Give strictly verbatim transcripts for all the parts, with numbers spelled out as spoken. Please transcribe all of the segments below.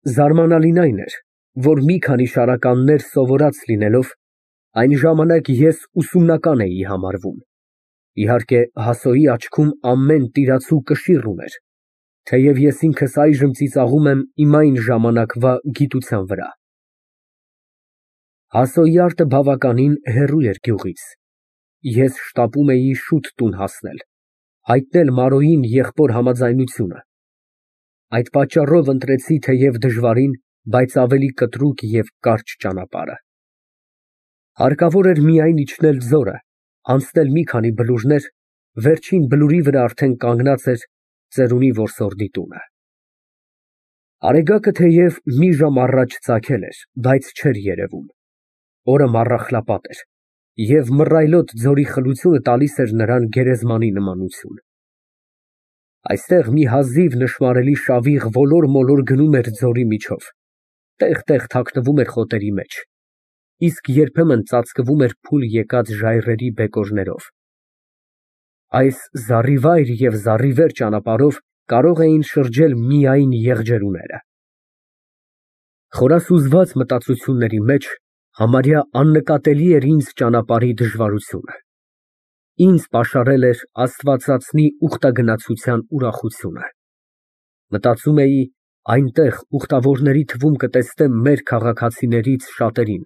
Զարմանալին այն էր, որ մի քանի շարականներ սովորած լինելով, այն ժամանակ ես ուսումնական էի համարվում, իհարկե Հասոյի աչքում ամեն տիրացու կշիռ ուներ, թեև ես ինքս այժմ ծիծաղում եմ իմ այն ժամանակվա գիտության վրա։ Հասոյարդը բավականին հեռու էր գյուղից, ես շտապում էի շուտ տուն հասնել, հայտնել Մարոյին եղբոր համաձայնությունը, այդ պատճառով ընտրեցի թեև դժվարին, բայց ավելի կտրուկ և կարճ ճանապարհը։ Հարկավոր էր միայն իջնել ձորը, անցնել մի քանի բլուրներ, վերջին բլուրի վրա արդեն կանգնած էր ծերունի որսորդի տունը։ Արեգակը թեև մի ժամ առաջ ծագել էր, բայց չէր երևում, օրը մառախլապատ էր, և մռայլոտ ձորի խլությունը տալիս էր նրան գերեզմանի նմանություն։ Այստեղ մի հազիվ նշմարելի շավիղ ոլոր֊մոլոր գնում էր ձորի միջով, տեղ֊տեղ թաքնվում էր խոտերի մեջ, իսկ երբեմն ծածկվում էր փուլ եկած ժայռերի բեկորներով։ Այս զառիվայր և զառիվեր ճանապարհով կարող էին շրջել միայն եղջերուները։ Խորասուզված մտածությունների մեջ համարյա աննկատելի էր ինձ ճանապարհի դժվարությունը, ինձ պաշարել էր աստվածածնի ուխտագնացության ուրախությունը։ Մտածում էի, այնտեղ ուխտավորների թվում կտեսնեմ մեր քաղաքացիներից շատերին,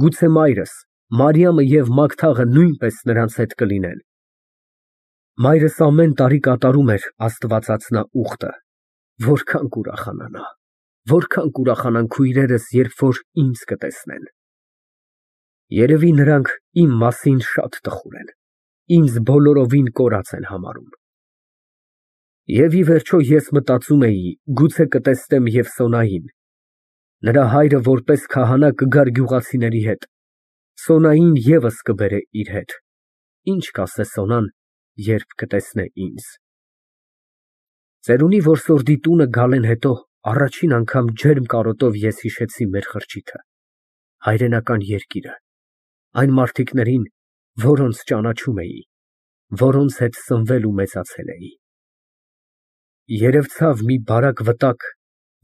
գուցե մայրս, Մարիամը և Մագդաղը նույնպես նրանց հետ կլինեն։ Մայրս ամեն տարի կատարում էր աստվածածնա ուխտը, որքան կուրախանա նա, որքան կուրախանան քույրերս, երբ որ ինձ կտեսնեն։ Երևի նրանք իմ մասին շատ տխուր են, ինձ բոլորովին կորած են համարում։ Եվ ի վերջո ես մտածում էի, գուցե կտեսնեմ և Սոնային, նրա հայրը որպես քահանա կգար գյուղացիների հետ, Սոնային ևս կբերե իր հետ, ինչ կասե Սոնան, երբ կտեսնե ինձ։ Ծերունի որսորդի տունը գալեն հետո առաջին անգամ ջերմ կարոտով ես հիշեցի մեր խրճիթը, հայրենական երկիրը, այն մարդիկներին, որոնց ճանաչում էի, որոնց հետ սնվել ու մեծացել էի։ Երևցավ մի բարակ վտակ,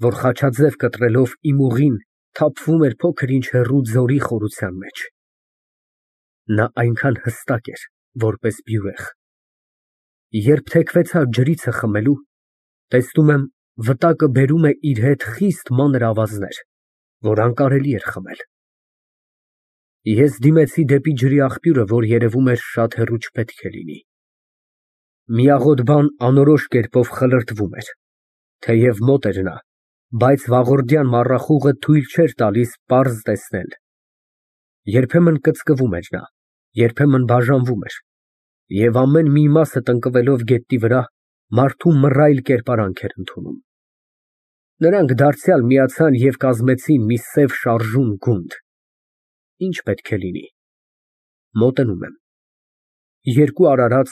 որ խաչաձև կտրելով իմ ուղին թափվում էր փոքր-ինչ հեռու ձորի խորության մեջ։ Նա այնքան հստակ էր, որպես բյուրեղ։ Երբ թեքվեցա ջրիցը խմելու, տեսնում եմ, վտակը բերում է իր հետ խիստ մանր ավազներ, որ անկարելի էր խմել։ Ես դիմեցի դեպի ջրի աղբյուրը, որ երևում էր շատ հեռու չպետք է լինի։ Միաղոտ բան անորոշ կերպով խլրտվում էր, թեև մոտ էր նա, բայց վաղորդյան մառախուղը թույլ չէր տալիս պարզ տեսնել։ Երբեմն կծկվում էր նա, երբեմն բաժանվում էր, և ամեն մի մասը տնկվելով գետնի վրա, մարդու մռայլ կերպարանք էր ընդունում։ Նրանք դարձյալ միացան և կազմեցին մի սև շարժուն գունդ։ Ինչ պետք է լինի։ Մոտենում եմ։ Երկու արարած,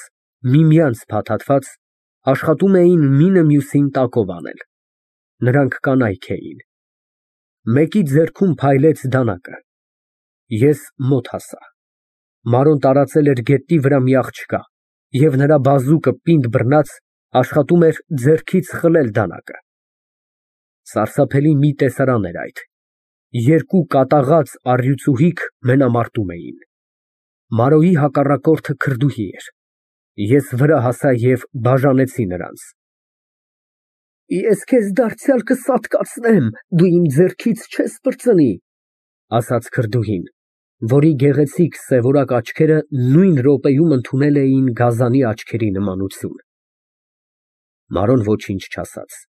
միմյանց փաթաթված, աշխատում էին մինը մյուսին տակով անել։ Նրանք կանայք էին։ Մեկի ձեռքում փայլեց դանակը։ Ես մոտ հասա։ Մարոն տարածել էր գետնի վրա մի աղջկա, և նրա բազուկը պինդ բռնած աշխատում էր ձեռքից խլել դանակը։ Սարսափելի մի տեսարան էր այդ։ Երկու կատաղած առյուծուհիք մենամարտում էին։ Մարոյի հակառակորդը քրդուհի էր։ Ես վրա հասա և բաժանեցի նրանց։ Ես քեզ դարձյալ կսատկացնեմ, դու իմ ձեռքից չես պրծնի, ասաց քրդուհին, որի գեղեցիկ սևորակ աչքերը նույն րոպեում ընդունել էին գազանի աչքերի նմանություն։ Մարոն ոչինչ չասաց,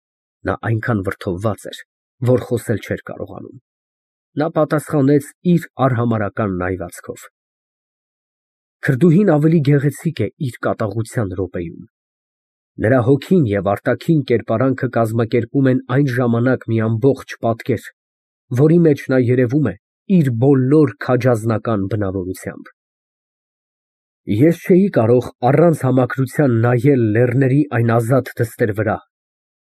նա այնքան վրդովված էր, որ խոսել չէր կարողանում։ Նա պատասխանեց իր արհամարհական նայվածքով։ Քրդուհին ավելի գեղեցիկ է իր կատաղության րոպեում։ Նրա հոգին և արտաքին կերպարանքը կազմակերպում են այն ժամանակ մի ամբողջ պատկեր, որի մեջ նա երևում է իր բոլոր քաջազնական բնավորությամբ։ Ես չէի կարող առանց համակրության նայել լեռների այն ազատ դստեր վրա,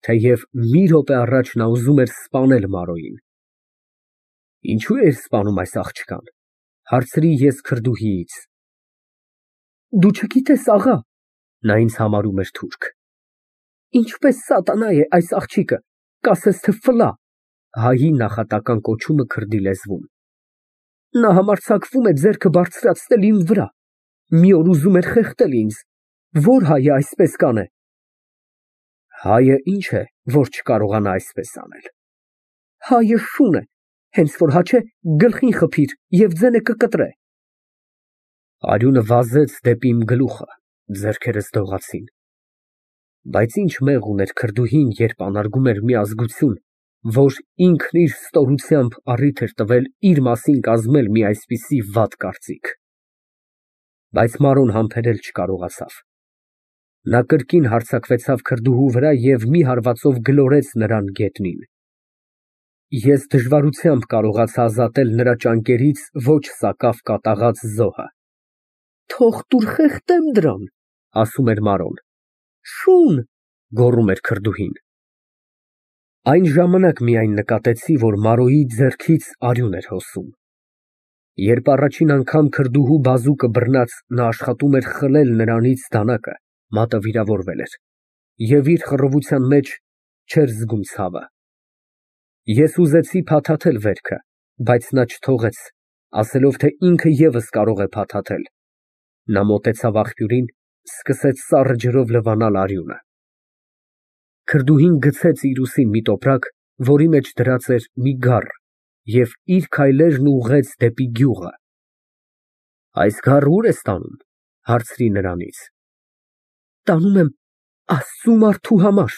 թեև մի րոպե առաջ նա ուզում էր սպանել Մարոյին։ Ինչո՞ւ էիր սպանում այս աղջկան, հարցրի ես քրդուհիից։ Դու չգիտես, աղա, նա ինձ համարում էր թուրք։ Ինչպես սատանա է այս աղջիկը, կասես թե ֆլա, հայի նախատական կոչումը քրդի լեզվում։ Նա համարձակվում է ձեռքը բարձրացնել իմ վրա, մի օր ուզում էր խեղդել ինձ, որ հայը այսպես կանե։ Հայը ինչ է, որ չկարողանա այսպես անել։ Հայը շուն է, հենց որ հաչե գլխին խփիր և ձենը կկտրե։ Արյունը վազեց դեպի իմ գլուխը, ձեռքերս դողացին։ Բայց ինչ մեղ ուներ քրդուհին, երբ անարգում էր մի ազգություն, որ ինքն իր ստորությամբ առիթ էր տվել իր մասին կազմել մի այսպիսի վատ կարծիք։ Բայց Մարոն համբերել չկարողացավ։ Նա կրկին հարձակվեցավ քրդուհու վրա և մի հարվածով գլորեց նրան գետնին։ Ես դժվարությամբ կարողացա ազատել նրա ճանկերից ոչ սակավ կատաղած զոհը։ Թող տուր խեղդեմ դրան, ասում էր Մարոն։ Շուն, գոռում էր քրդուհին։ Այն ժամանակ միայն նկատեցի, որ Մարոյի ձեռքից արյուն էր հոսում։ Երբ առաջին անգամ քրդուհու բազուկը բռնած նա աշխատում էր խլել նրանից դանակը, մատը վիրավորվել էր, և իր խռովության մեջ չէր զգում ցավը։ Ես ուզեցի փաթաթել վերքը, բայց նա չթողեց, ասելով, թե ինքը ևս կարող է փաթաթել։ Նա մոտեցավ աղբյուրին, սկսեց սառը ջրով լվանալ արյունը։ Քրդուհին գցեց իր ուսին մի տոպրակ, որի մեջ դրած էր մի գառ, և իր քայլերն ուղղեց դեպի գյուղը։ Այս գառը ո՞ւր ես տանում, հարցրի նրանից։ Տանում եմ Աստծու մարդու համար,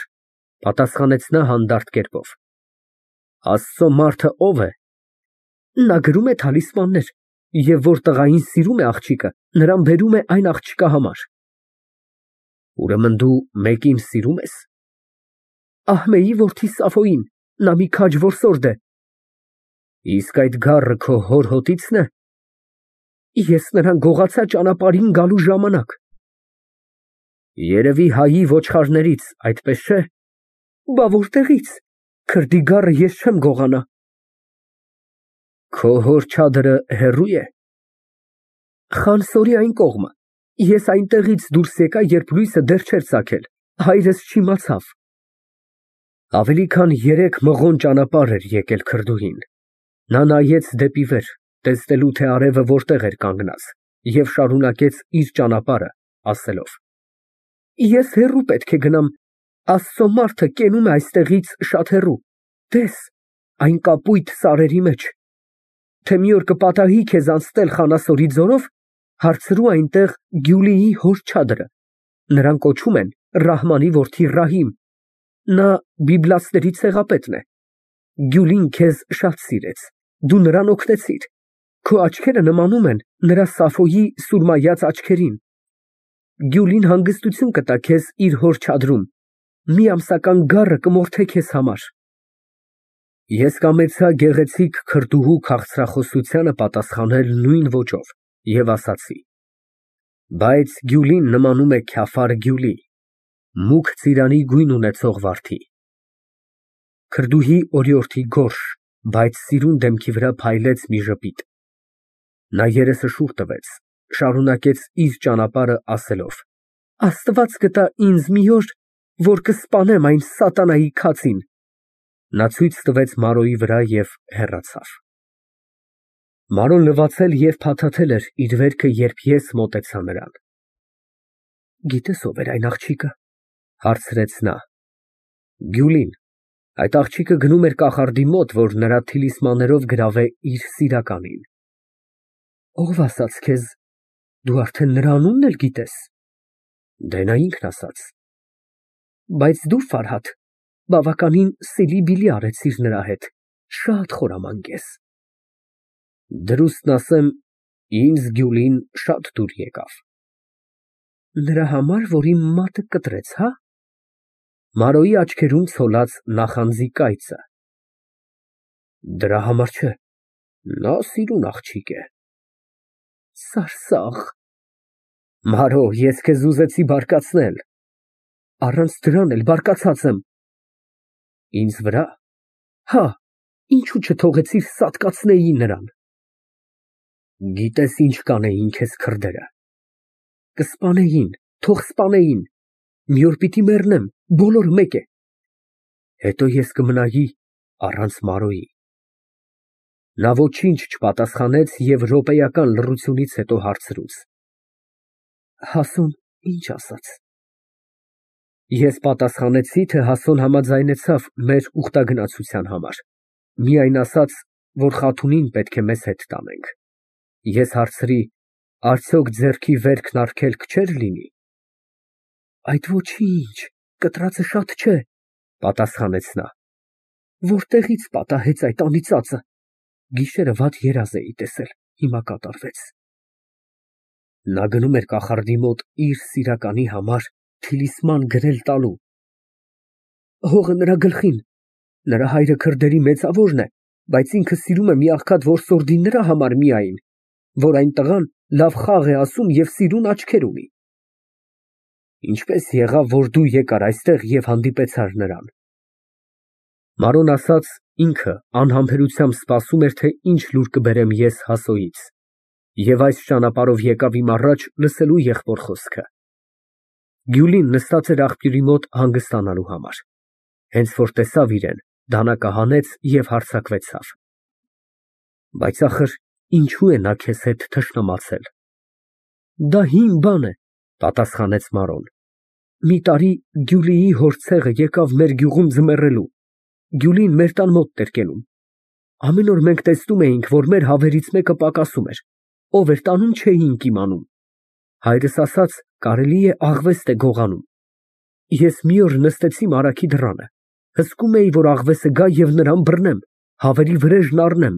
պատասխանեց նա հանդարտ կերպով։ Աստծո մարդը ո՞վ է։ Նա գրում է թալիսմաններ, և որ տղային սիրում է աղջիկը, նրան բերում է այն աղջկա համար։ Ուրեմն դու մեկին սիրում ես։ Ահմեի որդի Սաֆոյին, նա մի քաջ որսորդ է։ Իսկ այդ գառը քո հոր հոտի՞ցն է։ Ես նրան գողացա ճանապարհին գալու ժամանակ։ Երևի հայի ոչխարներից, այդպես չէ։ Բա որտեղից, քրդի գառը ես չեմ գողանա։ Քո հոր չադրը հեռու է։ Խանսորի այն կողմը։ Ես այնտեղից դուրս եկա, երբ լույսը դեռ չէր ծագել, հայրս չիմացավ։ Ավելի քան երեք մղոն ճանապարհ էր եկել քրդուհին։ Նա նայեց դեպի վեր, տեսնելու, թե արևը որտեղ էր կանգնած, և շարունակեց իր ճանապարհը, ասելով. Ես հեռու պետք է գնամ, Աստծո մարդը կենում է այստեղից շատ հեռու, տես, այն կապույտ սարերի մեջ։ Թե մի օր կպատահի քեզ անցնել Խանասորի ձորով, հարցրու այնտեղ Գյուլիի հոր չադրը, նրան կոչում են Ռահմանի որդի Ռահիմ, նա բիբլացիների ցեղապետն է։ Գյուլին քեզ շատ սիրեց, դու նրան օգնեցիր, քո աչքերը նմանում են նրա Սաֆոյի սուրմայած աչքերին։ Գյուլին հանգստություն կտա քեզ իր հոր չադրում, մի ամսական գառը կմորթե քեզ համար։ Ես կամեցա գեղեցիկ քրդուհու քաղցրախոսությանը պատասխանել նույն ոճով և ասացի. Բայց Գյուլին նմանում է Քյաֆար Գյուլի, մուգ ծիրանի գույն ունեցող վարդի։ Քրդուհի օրիորդի գորշ, բայց սիրուն դեմքի վրա փայլեց մի ժպիտ։ Նա երեսը շուռ տվեց, շարունակեց իր ճանապարհը ասելով. Աստված կտա ինձ մի օր, որ կսպանեմ այն սատանայի քացին։ Նա ցույց տվեց Մարոյի վրա և հեռացավ։ Մարոն լվացել և փաթաթել էր իր վերքը, երբ ես մոտեցա նրան։ Գիտես ով էր այն աղջիկը, հարցրեց նա։ Գյուլին, այդ աղջիկը գնում էր կախարդի մոտ, որ նրա թիլիսմաներով գրավե իր սիրականին։ Ով ասաց քեզ, դու արդեն նրա անունն էլ գիտես։ Դե նա ինքն ասաց։ Բայց դու, Ֆարհադ, բավականին սիլի֊բիլի արեցիր նրա հետ, շատ խորամանկ ես։ Դրուստն ասեմ, ինձ Գյուլին շատ դուր եկավ։ Նրա համար, որ իմ մատը կտրեց, հա։ Մարոյի աչքերում ցոլած նախանձի կայծը։ Դրա համար չէ, նա սիրուն աղջիկ է։ Սարսափ։ Մարո, ես քեզ ուզեցի բարկացնել։ Առանց դրան էլ բարկացած եմ։ Ինձ վրա։ Հա, ինչու չթողեցիր սատկացնեի նրան։ Գիտես ինչ կանեին քեզ քրդերը։ Կսպանեին, թող սպանեին։ Մի օր պիտի մեռնեմ, բոլորը մեկ է։ Հետո ես կմնայի առանց Մարոյի։ Նա ոչինչ չպատասխանեց և րոպեական լռությունից հետո հարցրուց. Հասուն ի՞նչ ասաց։ Ես պատասխանեցի, թե Հասոն համաձայնեցավ մեր ուխտագնացության համար, միայն ասաց, որ Խաթունին պետք է մեզ հետ տանենք։ Ես հարցրի. արդյոք ձեռքի վերքն արգելք չէր լինի։ Այդ ոչինչ, կտրածը շատ չէ, պատասխանեց նա։ Որտեղից պատահեց այդ անիծածը։ Գիշերը վատ երազ էի տեսել, հիմա կատարվեց։ Նա գնում էր կախարդի մոտ իր սիրականի համար թիլիսման գրել տալու։ Հողը նրա գլխին։ Նրա հայրը քրդերի մեծավորն է, բայց ինքը սիրում է մի աղքատ որսորդի նրա համար միայն, որ այն տղան լավ խաղ է ասում և սիրուն աչքեր ունի։ Ինչպես եղավ, որ դու եկար այստեղ և հանդիպեցար նրան։ Մանրոն ասաց, ինքը անհամբերությամբ սպասում էր, թե ինչ լուր կբերեմ ես Հասոյից, և այս ճանապարհով եկավ իմ առաջ լսելու եղբոր խոսքը։ Գյուլին նստած էր աղբյուրի մոտ հանգստանալու համար։ Հենց որ տեսավ իրեն, դանակը հանեց և հարձակվեցավ։ Բայց ախր ինչո՞ւ է նա քեզ հետ թշնամացել։ Դա հին բան է, պատասխանեց Մանրոն։ Մի տարի Գյուլիի հոր ցեղը եկավ մեր գյուղում ձմեռելու։ Գյուլին մեր տան մոտն էր կենում։ Ամեն օր մենք տեսնում էինք, որ մեր հավերից մեկը պակասում էր, ով էր տանում չէինք իմանում։ Հայրս ասաց, կարելի է աղվեստ է գողանում։ Ես մի օր նստեցի մարագի դռանը, հսկում էի, որ աղվեսը գա և նրան բռնեմ, հավերի վրեժն առնեմ։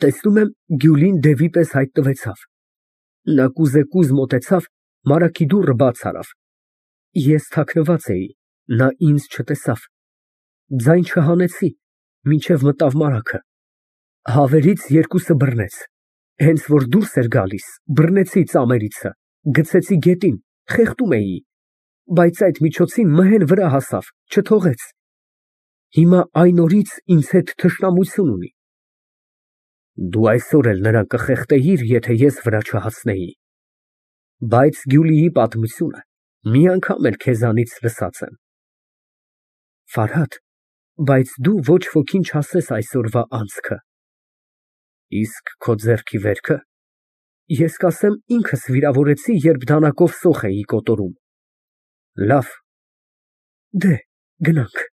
Տեսնում եմ, Գյուլին դևի պես հայտնվեցավ։ Նա կուզեկուզ մոտեցավ, մարագի դուռը բաց արավ։ Ես թաքնված էի, նա ինձ չտեսավ։ Ձայն չհանեցի, մինչև մտավ մարագը։ Հավերից երկուսը բռնեց։ Հենց որ դուրս էր գալիս, բռնեցի ծամերիցը, գցեցի գետին, խեղդում էի, բայց այդ միջոցին մհեն վրա հասավ, չթողեց։ Հիմա այն օրից ինձ հետ թշնամություն ունի։ Դու այսօր էլ նրան կխեղդեիր, եթե ես վրա չհասնեի։ Բայց Գյուլիի պատմությունը մի անգամ էլ քեզանից լսած եմ։ Ֆարհադ, բայց դու ոչ ոքին չասես այսօրվա անցքը։ Իսկ քո ձեռքի վերքը։ Ես կասեմ, ինքս վիրավորեցի, երբ դանակով սոխ էի կոտորում։ Լավ, դե, գնանք։